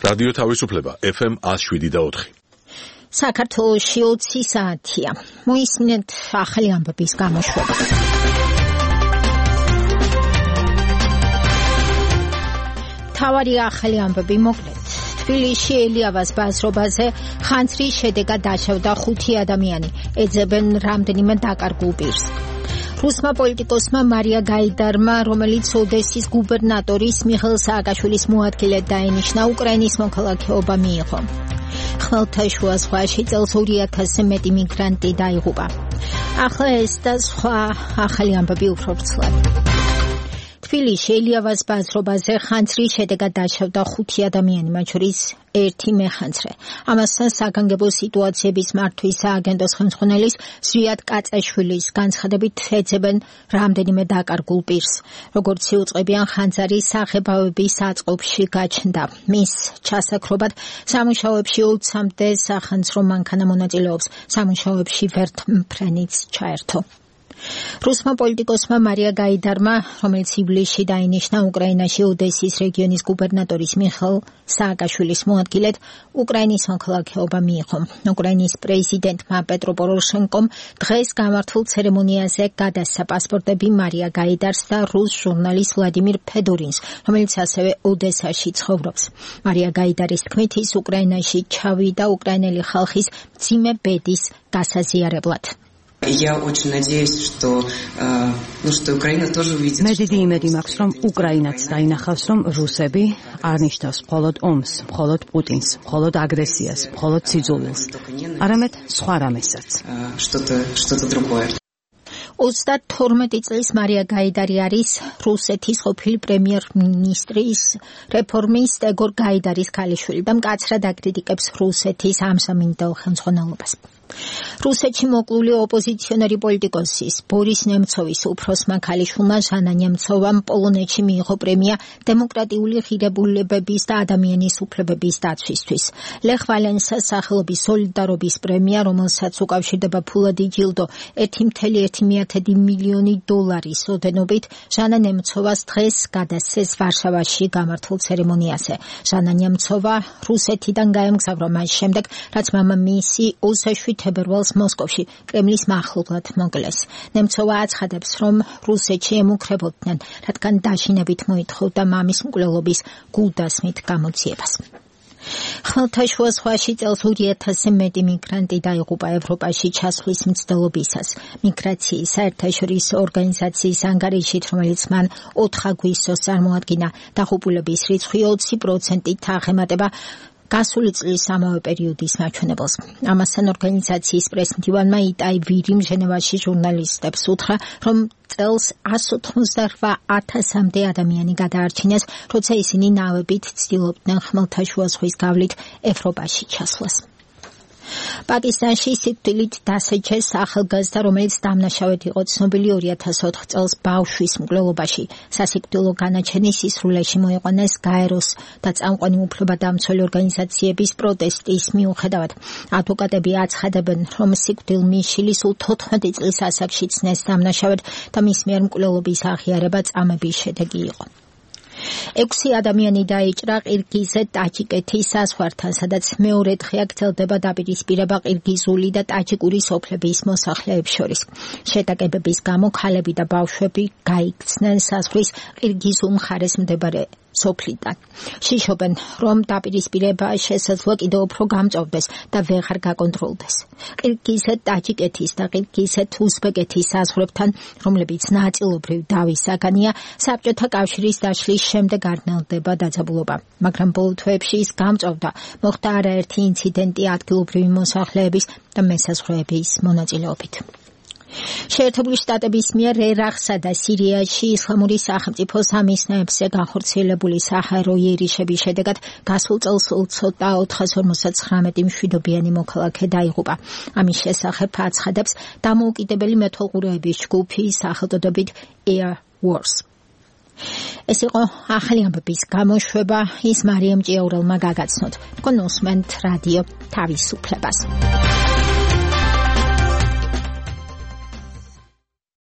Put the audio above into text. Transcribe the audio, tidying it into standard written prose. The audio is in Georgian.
რადიო თავისუფლება FM 107.4. საქართველოში 20 საათია. მოისმინეთ ახალი ამბების გამოშვება. თავარი ახალი ამბები მოკლედ. თბილისში ელიავას ბაზრობაზე ხანძრის შედეგად დაშავდა 5 ადამიანი. ეძებენ რამდენიმე დაკარგულ პირს. რუსმა პოლიტიკოსმა მარია გაიდარმა, რომელიც ოდესის გუბერნატორის მიხეილ სააკაშვილის მოადგილედ დაინიშნა, უკრაინის მოქალაქეობა მიიღო. ხმელთაშუა ზღვაში წელს 2000-ზე მეტი მიგრანტი დაიღუპა. ახლა ეს და სხვა ახალი ამბები უფრო ვრცლად. თბილისში ელიავას ბაზრობაზე ხანძრის შედეგად დაშავდა 5 ადამიანი, მათ შორის 1 მეხანძრე. ამასთან საგანგებო სიტუაციების მართვის სააგენტოს ხელმძღვანელის ზვიად კაწაშვილის განცხადებით ეძებენ რამდენიმე დაკარგულ პირს. როგორც იუწყებიან, ხანძარი საღებავების საწყობში გაჩნდა. მის ჩასაქრობად სამუშაოებში 20-მდე სახანძრო მანქანა მონაწილეობს. სამუშაოებში ვერტმფრენიც ჩაერთო. რუსმა პოლიტიკოსმა მარია გაიდარმა, რომელიც ივლისში დაინიშნა უკრაინაში ოდესის რეგიონის გუბერნატორის მიხეილ სააკაშვილის მოადგილედ, უკრაინის მოქალაქეობა მიიღო. უკრაინის პრეზიდენტმა პეტრო პოროშენკომ დღეს გამართულ ცერემონიაზე გადასცა პასპორტები მარია გაიდარს და რუს ჟურნალისტ ვლადიმირ ფედორინს, რომელიც ასევე ოდესაში ცხოვრობს. მარია გაიდარის თქმით, ის უკრაინაში ჩავიდა უკრაინელი ხალხის მძიმე ბედის გასაზიარებლად. Я очень надеюсь, что Украина тоже увидит. მე დიდი იმედი მაქვს, რომ უკრაინაც დაინახავს, რომ რუსები არ ნიშნავს მხოლოდ ომს, მხოლოდ პუტინს, მხოლოდ აგრესიას, მხოლოდ სიძულვილს, არამედ სხვა რამესაც. Что-то другое. 32 წლის მარია გაიდარი არის რუსეთის ყოფილი პრემიერ-მინისტრის რეფორმისტ ეგორ გაიდარის ქალიშვილი და მკაცრად აკრიტიკებს რუსეთის ამსამინდელ ხელმძღვანელობას. რუსეთში მოკლული ოპოზიციონერი პოლიტიკოსის ბორის ნემცოვის უფროსმა ქალიშვილმა ჟანა ნემცოვამ პოლონეთში მიიღო პრემია დემოკრატიული ღირებულებების და ადამიანის უფლებების დაცვისთვის. ლეხ ვალენსას სახელობის სოლიდარობის პრემია, რომელსაც უკავშირდება ფულადი ჯილდო 1,1 მილიონი დოლარის ოდენობით, ჟანა ნემცოვას დღეს გადასცეს ვარშავაში გამართულ ცერემონიაზე. ჟანა ნემცოვა რუსეთიდან გაემგზავრა მას შემდეგ, რაც მამამისი 27 თებერვალს მოსკოვში კრემლის მახლობლად მოკლეს. ნემცოვა აცხადებს, რომ რუსეთში ემუქრებოდნენ, რადგან დაშინებით მოითხოვდა მამის მკვლელობის გულდასმით გამოძიებას. ხმელთაშუა ზღვაში წელს 2000-ზე მეტი მიგრანტი დაიღუპა ევროპაში ჩასვლის მცდელობისას. მიგრაციის საერთაშორისო ორგანიზაციის ანგარიშით, რომელიც მან 4 აგვისტოს წარმოადგინა, დაღუპულების რიცხვი 20%-ით აღემატება გასული წლის ამავე პერიოდის მაჩვენებელს. ამასთან ორგანიზაციის პრესმდივანმა იტაი ვირიმ ჟენევაში ჟურნალისტებს უთხრა, რომ წელს 188,000-მდე ადამიანი გადაარჩინეს, როცა ისინი ნავებით ცდილობდნენ ხმელთაშუა ზღვის გავლით ევროპაში ჩასვლას. პაკისტანში სიკვდილით დასაჯეს ახალგაზრდა, რომელიც დამნაშავედ იყო ცნობილი 2004 წელს ბავშვის მკვლელობაში. სასიკვდილო განაჩენის სისრულეში მოიყვანეს გაეროს და წამყვანი უფლებადამცველი ორგანიზაციების პროტესტის მიუხედავად. ადვოკატები აცხადებენ, რომ სიკვდილმიშილი სულ 14 წლის ასაკში ცნეს დამნაშავედ და მის მიერ მკვლელობის აღიარება წამების შედეგი იყო. 6 ადამიანი დაიჭრა ყირგიზეთ-ტაჯიკეთის საზღვართან, სადაც მეორე დღე გრძელდება დაპირისპირება ყირგიზული და ტაჯიკური სოფლების მოსახლეებს შორის. შეტაკებების გამო ქალები და ბავშვები გაიქცნენ საზღვრის ყირგიზულ მხარეს მდებარე სოფლიდან. შიშობენ, რომ დაპირისპირება შესაძლოა კიდევ უფრო გამწვავდეს და ვეღარ გაკონტროლდეს. ყირგიზეთ-ტაჯიკეთის და ყირგიზეთ-უზბეკეთის საზღვრებთან, რომლებიც ნაწილობრივ დავის საგანია, საბჭოთა კავშირის დაშლის შემდეგ არნელდება დაძაბულობა. მაგრამ ბოლო თვეებში ის გამწვავდა. მოხდა არაერთი ინციდენტი ადგილობრივი მოსახლეების და მესაზღვრეების მონაწილეობით. შეერთებული შტატების მიერ ერაყსა და სირიაში ისლამური სახელმწიფო სამიზნეებზე განხორციელებული საჰაერო იერიშების შედეგად გასულ წელს 459 მშვიდობიანი მოქალაქე დაიღუპა. ამის შესახებ აცხადებს დამოუკიდებელი მეთვალყურეების ჯგუფი სახელწოდებით Air Wars. ეს იყო ახალი ამბების გამოშვება, ის მარიამ ჭიაურელმა გაგაცნოთ. თქვენ უსმენთ რადიო თავისუფლებას.